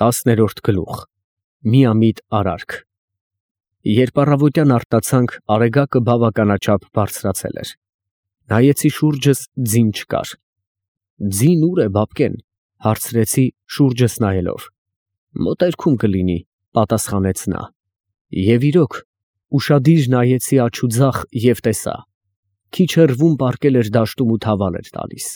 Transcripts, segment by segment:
10-րդ գլուխ Միամիտ արարք Երբ առավոտյան արտացանք, արեգակը բավականաչափ բարձրացել էր։ Նայեցի շուրջս, ձին չկար։ Ձին ուր է, բաբկեն, հարցրեցի շուրջս նայելով։ Մոտերքում կլինի, պատասխանեց նա։ Եվ իրոք, ուշադիր նայեցի աջ ու ձախ և տեսա։ Քիչ հեռվում պառկել էր դաշտում ու թավալ էր տալիս։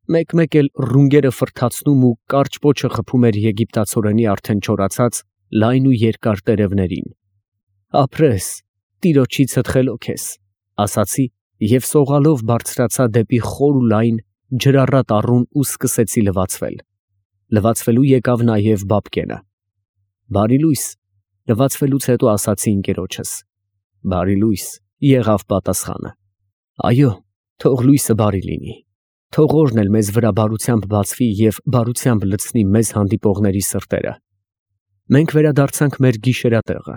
Մեկ-մեկ էլ ռունգերը ֆռթացնում ու կարճ պոչը խփում էր եգիպտացորենի արդեն չորացած լայն ու երկար տերևներին։ Ապրես, տիրոջիցդ խելոք ես, ասացի և սողալով բարձրացա դեպի խոր ու լայն ջրառատ առուն ու սկսեցի լվացվել։ Լվացվելու եկավ նաև բաբկենը։ Բարի լույս, լվացվելուց հետո ասացի ընկերոջս։ Բարի լույս, եղավ պատասխանը։ Այո, թող լույսը բարի լինի։ Թող օրն էլ մեզ վրա բարությամբ բացվի և բարությամբ լցնի մեզ հանդիպողների սրտերը։ Մենք վերադարձանք մեր գիշերատեղը,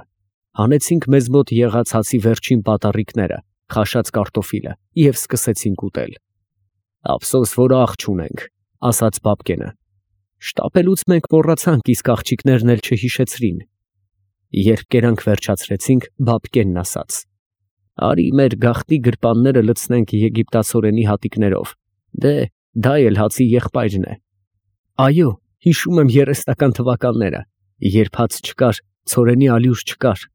հանեցինք մեզ մոտ եղած հացի վերջին պատառիկները, խաշած կարտոֆիլը և սկսեցինք ուտել։ Ափսոս, որ աղ չունենք, ասաց բաբկենը։ Շտապելուց մենք մոռացանք, իսկ աղջիկներն էլ չհիշեցրին։ Երբ կերանք վերջացրեցինք, բաբկենն ասաց. Արի մեր գաղտնի գրպանները լցնենք եգիպտացորենի հատիկներով, դե դա էլ հացի եղբայրն է։ Այո, հիշում եմ երեսնական թվականները, երբ հաց չկար, ցորենի ալյուր չկար,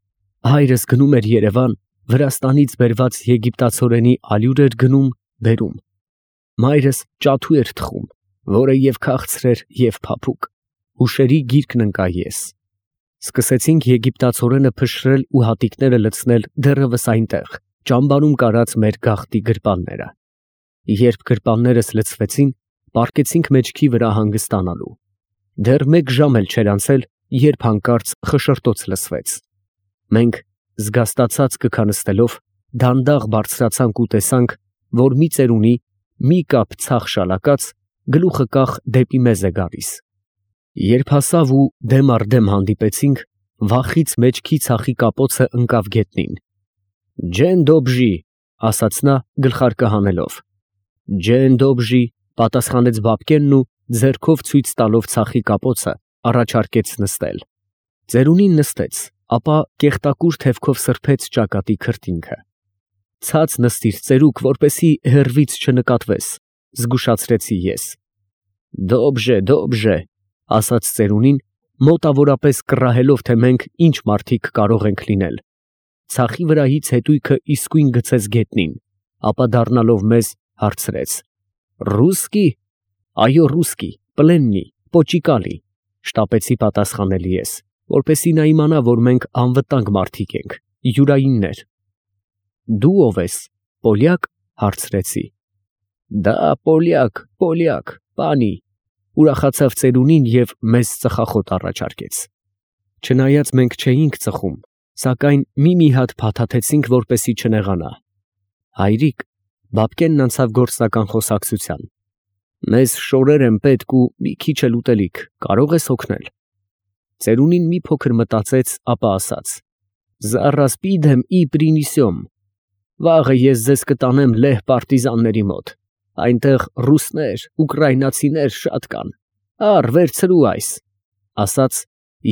հայրս գնում էր Երևան, Վրաստանից բերված եգիպտացորենի ալյուր էր գնում, բերում։ Մայրս ճաթու էր թխում, որը և քաղցր էր, և փափուկ, հուշերի գիրկն ընկա ես։ Սկսեցինք եգիպտացորենը փշրել ու հատիկները լցնել դեռևս այնտեղ, ճամբարում կարած մեր գաղտնի գրպանները։ Երբ գրպաններս լցվեցին, պառկեցինք մեջքի վրա հանգստանալու։ Դեռ մեկ ժամ էլ չէր անցել, երբ հանկարծ խշշրտոց լսվեց։ Մենք զգաստացած կքանստելով դանդաղ բարձրացանք ու տեսանք, որ մի ծերունի, մի կապ ցախ շալակած, գլուխը կախ դեպի մեզ է գալիս։ Երբ հասավ ու դեմ առ դեմ հանդիպեցինք, վախից մեջքի ցախի կապոցը ընկավ գետնին։ Ջեն դոբժի, ասաց նա գլխարկը հանելով։ Ջեն դոբժի, պատասխանեց բաբկենն ու ձեռքով ցույց տալով ցախի կապոցը, առաջարկեց նստել։ Ծերունին նստեց, ապա կեղտակուր թևքով սրբեց ճակատի քրտինքը։ Ցած նստիր ծերուկ, որպեսի հեռվից չնկատվես, զգուշացրեցի ես։ Դոբժե, դոբժե, ասաց ծերունին, մոտավորապես կռահելով, թե մենք ինչ մարդիկ կարող ենք լինել։ Ցախի վրայից հետույքը իսկույն գցեց գետնին, ապա դառնալով մեզ հարցրեց. Ռուսկի։ Այո, ռուսկի, պլեննի, պոճիկալի, շտապեցի պատասխանել ես, որպեսի նա իմանա, որ մենք անվտանգ մարդիկ ենք, յուրայիններ։ Դու ով ես, պոլյակ, հարցրեցի։ Դա պոլյակ, պանի, ուրախացավ ծերունին և մեզ ծխախոտ առաջարկեց։ Չնայած մենք չէինք ծխում, սակայն մի հատ փաթաթեցինք, որպեսի չնեղանա։ Հայրիկ, բաբկենն անցավ գործնական խոսակցության։ Մեզ շորեր են պետք ու մի քիչ էլ ուտելիք, կարող ես օգնել։ Ծերունին մի փոքր մտածեց, ապա ասաց. Զառաս պիդեմ ի պրինիսյոմ։ Վաղը ես ձեզ կտանեմ լեհ պարտիզանների մոտ։ Այնտեղ ռուսներ, ուկրաինացիներ շատ կան։ Առ վերցրու այս, ասաց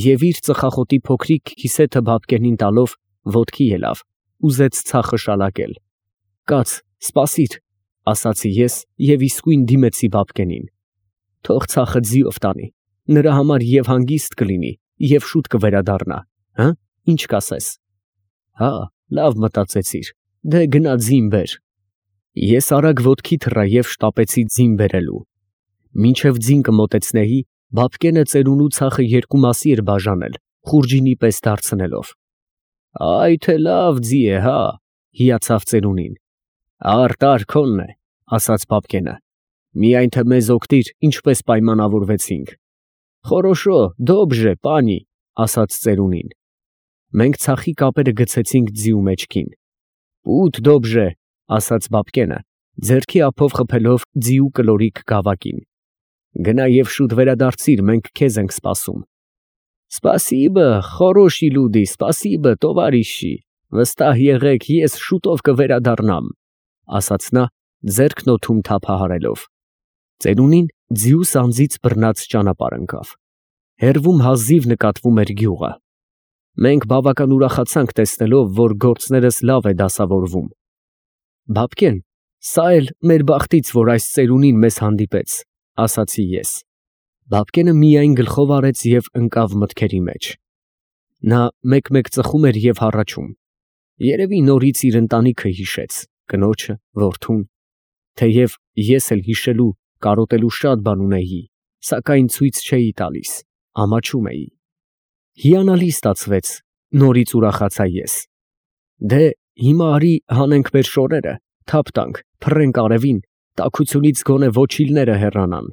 և իր ծխախոտի փոքրիկ քիսեթը բաբկենին տալով ոտքի ելավ, ուզեց ցախը շալակել։ Կաց, սպասիր, ասացի ես և իսկույն դիմեցի բաբկենին։ Թող ցախը ձիով տանի, նրա համար և հանգիստ կլինի, և շուտ կվերադառնա, հը, ինչ կասես։ Հա, լավ մտածեցիր, դե գնա ձին բեր։ Ես արագ ոտքի թռա և շտապեցի ձին բերելու։ Մինչև ձին կմոտեցնեի, բաբկենը ծերունու ցախը երկու մասի էր բաժանել, խուրջինի պես դարձնելով։ Այ թե լավ ձի է, հա, հիացավ ծերունին։ Տար քոնն է, ասաց բաբկենը։ Միայն թե մեզ օգնիր, ինչպես պայմանավորվեցինք։ Խորոշո, դոբժե, պանի, ասաց ծերունին։ Մենք ցախի կապերը գցեցինք ձիու մեջքին։ Պուտ դոբժե, ասաց բաբկենը, ձեռքի ափով խփելով ձիու կլորիկ գավակին։ Գնա և շուտ վերադարձիր, մենք քեզ ենք սպասում։ Սպասիբը, խորոշի լուդի, սպասիբը, տովարիշի, վստահ եղեք, ես շուտով կվերադառնամ, ասաց նա, ձեռքն օդում թափահարելով։ Ծերունին ձիու սանձից բռնած ճանապարհ ընկավ։ Հեռվում հազիվ նկատվում էր գյուղը։ Մենք բավական ուրախացանք տեսնելով, որ գործներս լավ է դասավորվում։ Բաբկեն, սա էլ մեր բախտից, որ այս ծերունին մեզ հանդիպեց, ասացի ես։ Բաբկենը միայն գլխով արեց և ընկավ մտքերի մեջ։ Նա մեկ-մեկ ծխում էր և հառաչում։ Երևի նորից իր ընտանիքը հիշեց, կնոջը, որդուն, թեև ես էլ հիշելու, կարոտելու շատ բան ունեի, սակայն ցույց չէի տալիս, ամաչում էի։ Հիանալի ստացվեց, նորից ուրախացա ես։ Դե, հիմա արի հանենք մեր շորերը, թափ տանք, փռենք արևին, տաքությունից գոնե ոչիլները հեռանան։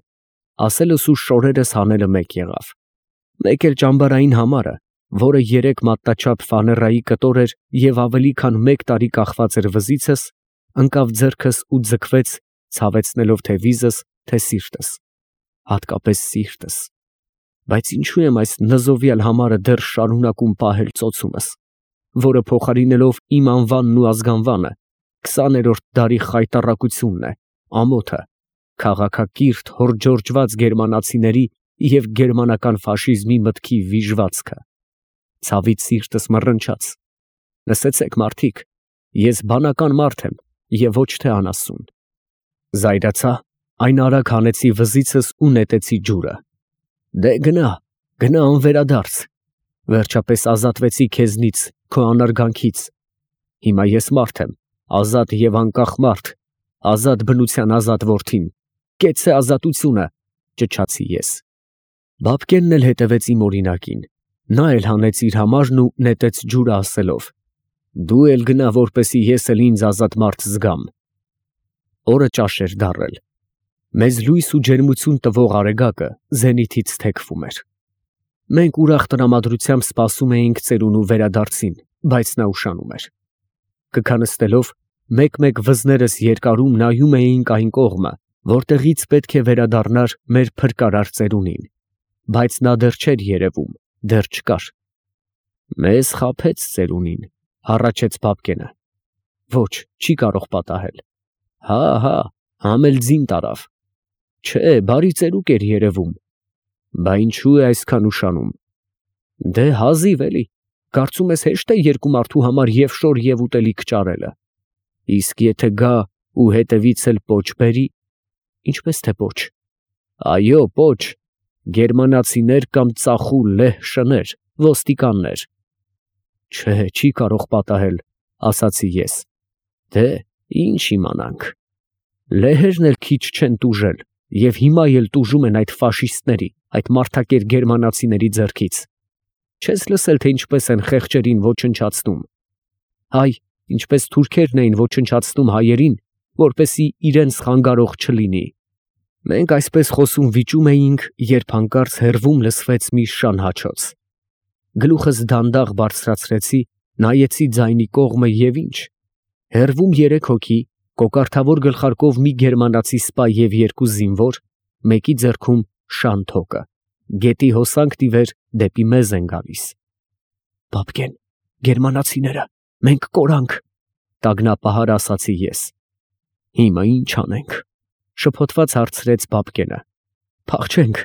Ասելս ու շորերս հանելը մեկ եղավ։ Մեկ էլ ճամբարային համարը, որը 3 մատնաչափ ֆաներայի կտոր էր և ավելի քան 1 տարի կախված էր վզիցս, ընկավ ձեռքս ու ձգվեց, ցավեցնելով թե վիզս, թե սիրտս, հատկապես սիրտս։ Բայց ինչու եմ այս նզովյալ համարը դեռ շարունակում պահել ծոցումս, որը փոխարինելով իմ անվանն ու ազգանվանը, 20-րդ դարի խայտառակությունն է, ամոթը, քաղաքակիրթ հորջորջված գերմանացիների և գերմանական ֆաշիզմի մտքի վիժվածքը։ Ցավից սիրտս մռնչաց։ Լսեցեք, մարդիկ, ես բանական մարդ եմ և ոչ թե անասուն։ Զայրացա, այն արագ հանեցի վզիցս ու նետեցի ջուրը։ Դե գնա, գնա անվերադարձ, վերջապես ազատվեցի քեզնից, քո անարգանքից։ Հիմա ես մարդ եմ, ազատ և անկախ մարդ, ազատ բնության ազատ որդին, կեցցե ազատությունը, ճչացի ես։ Բաբկենն էլ հետևեց իմ օրինակին, նա էլ հանեց իր համարն ու նետեց ջուրը ասելով. դու էլ գնա, որպեսզի ես էլ ինձ ազատ մարդ զգամ։ Օրը ճաշ էր դառել։ Մեզ լույս ու ջերմություն տվող արեգակը զենիթից թեքվում էր։ Մենք ուրախ տրամադրությամբ սպասում էինք ծերունու վերադարձին, բայց նա ուշանում էր։ Կքանստելով, մեկ-մեկ վզներս երկարում նայում էինք այն կողմը, որտեղից պետք է վերադառնար մեր փրկարար ծերունին, բայց նա դեռ չէր երևում, դեռ չկար։ Մեզ խաբեց ծերունին, հառաչեց Բաբկենը։ Ոչ, չի կարող պատահել։ Հա, համ էլ ձին տարավ։ Չէ, բարի ծերուկ էր երևում։ Բա ինչու է այսքան ուշանում։ Դե հազիվ էլի, կարծում ես հեշտ է երկու մարդու համար և շոր և ուտելիք ճարելը։ Իսկ եթե գա ու հետևից էլ պոչ բերի։ Ինչպես թե պոչ։ Այո, պոչ, գերմանացիներ կամ ծախու լեհ շներ, ոստիկաններ։ Չէ, չի կարող պատահել, ասացի ես։ Դե, ինչ իմանանք։ Լեհերն էլ քիչ չեն տուժել և հիմա էլ տուժում են այդ ֆաշիստների, այդ մարդակեր գերմանացիների ձեռքից։ Չես լսել, թե ինչպես են խեղճերին ոչնչացնում։ Հայ, ինչպես թուրքերն էին ոչնչացնում հայերին, որպեսզի իրենց խանգարող չլինի։ Մենք այսպես խոսում վիճում էինք, երբ հանկարծ հեռվում լսվեց մի շան հաչոց։ Գլուխս դանդաղ բարձրացրեցի, նայեցի ձայնի կողմը և ինչ։ Հեռվում 3 հոգի, կոկարդավոր գլխարկով մի գերմանացի սպա և 2 զինվոր, մեկի ձեռքում շան թոկը, գետի հոսանք տիվեր դեպի մեզ են գալիս։ Բաբկեն, գերմանացիները, մենք կորանք, տագնապահար ասացի ես։ Հիմա ինչ անենք, շփոթված հարցրեց Բաբկենը։ Փախչենք,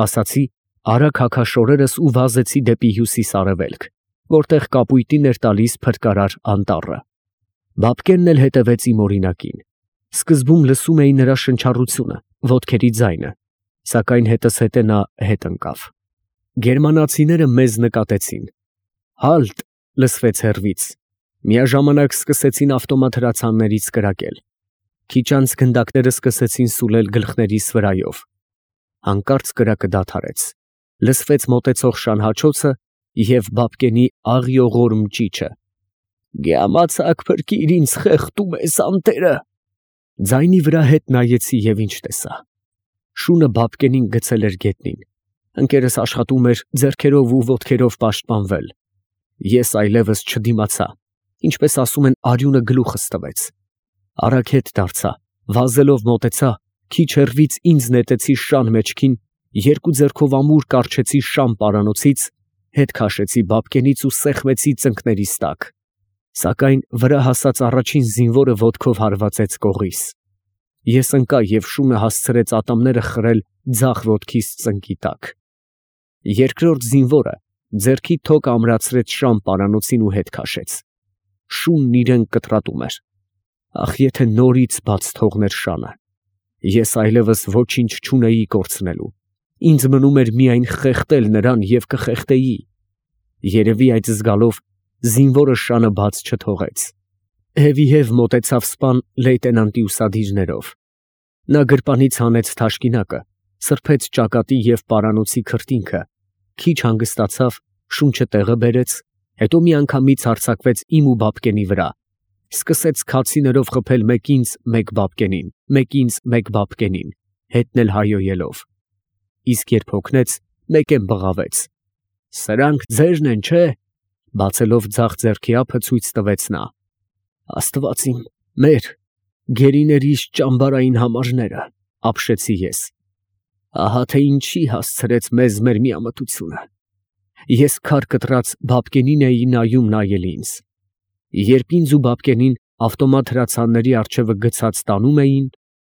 ասացի, արագ հագաշորերս ու վազեցի դեպի հյուսիս֊արևելք, որտեղ կապույտին էր տալիս փրկարար անտառը։ Բաբկենն էլ հետևեց իմ օրինակին։ Սկզբում լսում էի նրա շնչառությունը, ոտքերի ձայնը, սակայն հետզհետե նա հետ ընկավ։ Գերմանացիները մեզ նկատեցին։ Հալտ, լսվեց հեռվից։ Միաժամանակ սկսեցին ավտոմատ հրացաններից կրակել։ Քիչ անց գնդակները սկսեցին սուլել գլխներիս վրայով։ Հանկարծ կրակը դադարեց։ Լսվեց մոտեցող շան հաչոցը և Բաբկենի աղիողորմ ճիչը։ Գյամացակ փրկիր ինձ, խեղդում ես անտերը։ Ձայնի վրա հետ նայեցի և ինչ տեսա։ Շունը Բաբկենին գցել էր գետնին։ Ընկերս աշխատում էր ձեռքերով ու ոտքերով պաշտպանվել։ Ես այլևս չդիմացա, ինչպես ասում են, արյունը գլուխս տվեց։ Արագ հետ դարձա, վազելով մոտեցա, քիչ հեռվից ինձ նետեցի շան մեջքին, 2 ձեռքով ամուր կառչեցի շան պարանոցից, հետ քաշեցի Բաբկենից ու սեղմեցի ծնկներիս տակ։ Սակայն վրա հասած առաջին զինվորը ոտքով հարվածեց կողիս։ Ես ընկա և շունը հասցրեց ատամները խրել ձախ ոտքիս ծնկի տակ։ Երկրորդ զինվորը ձեռքի թոք ամրացրեց շան պարանոցին ու հետ քաշեց։ Շունն իրեն կտրատում էր։ Ախ, եթե նորից բաց թողներ շանը, ես այլևս ոչինչ չունեի կորցնելու, ինձ մնում էր միայն խեղդել նրան և կխեղդեի։ Երևի այդ զգալով զինվորը շանը բաց չթողեց։ Հևիհև մոտեցավ սպան լեյտենանտի ուսադիրներով։ Նա գրպանից հանեց թաշկինակը, սրբեց ճակատի և պարանոցի քրտինքը, քիչ հանգստացավ, շունչը տեղը բերեց, հետո միանգամից հարձակվեց իմ ու Բաբկենի վրա, սկսեց քացիներով խփել մեկ ինձ, մեկ Բաբկենին, մեկ ինձ, մեկ Բաբկենին, հետն էլ հայոյելով։ Իսկ երբ հոգնեց, մեկեն բղավեց. «Սրանք ձերն են, չէ՞», բացելով ձախ ձեռքի ափը ցույց տվեց նա։ «Աստված իմ, մեր, գերիներիս ճամբարային համարները», ապշեցի ես։ Ահա թե ինչի հասցրեց մեզ մեր միամտությունը։ Ես քար կտրած Բաբկենին էի նայել ինձ։ Երբ ինձ ու Բաբկենին ավտոմատ հրացանների առջևը գցած տանում էին,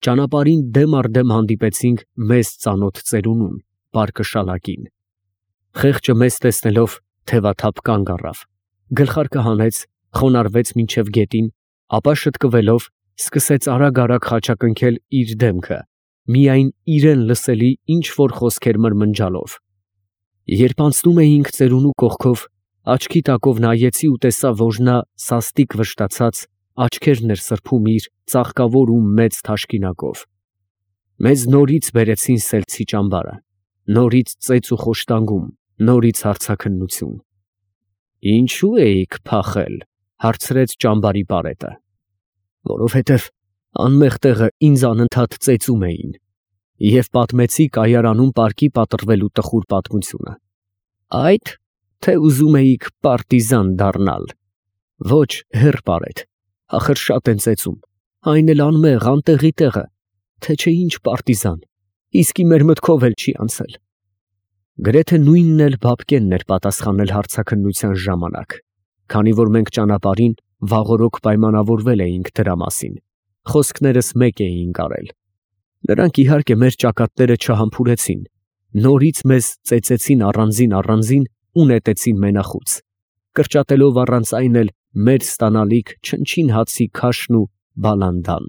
ճանապարհին դեմ առ դեմ հանդիպեցինք մեզ ծանոթ ծերունուն, պարկը շալակին։ Խեղճը մեզ տեսնելով թևաթափ կանգ առավ, գլխարկը հանեց, խոնարհվեց մինչև գետին, ապա շտկվելով սկսեց արագ խաչակնքել իր դեմքը, միայն իրեն լսելի ինչ որ խոսքեր մրմնջալով։ Երբ անցնում էինք ծերունու կողքով, աչքի տակով նայեցի ու տեսա, որ նա սաստիկ վշտացած աչքերն էր սրբում իր ծաղկավոր ու մեծ թաշկինակով։ Մեզ նորից բերեցին սելցի ճամբարը, նորից ծեծ ու խոշտանգում, նորից հարցաքննություն։ «Ինչու էիք փախել», հարցրեց ճամբարի պարետը։ «Որովհետև անմեղ տեղը ինձ անընդհատ ծեծում էին», և պատմեցի կայարանում պարկի պատռվելու տխուր պատմությունը։ «Այդ, թե ուզում էիք պարտիզան դառնալ»։ «Ոչ, հեռ պարետ, ախր շատ են ծեծում, այն էլ անմեղ, անտեղի տեղը, թե չէ ինչ պարտիզան, իսկի մեր մտքով էլ չի անցել»։ Գրեթե նույնն էլ Բաբկենն էր պատասխանել հարցաքննության ժամանակ, քանի որ մենք ճանապարհին վաղօրոք պայմանավորվել էինք դրա մասին, խոսքներս մեկ էինք արել։ Նրանք իհարկե մեր ճակատները չհամբուրեցին, նորից մեզ ծեծեցին առանձին ու նետեցին մենախուց, կրճատելով առանց այն էլ մեր ստանալիք չնչին հացի քաշն ու բալանդան։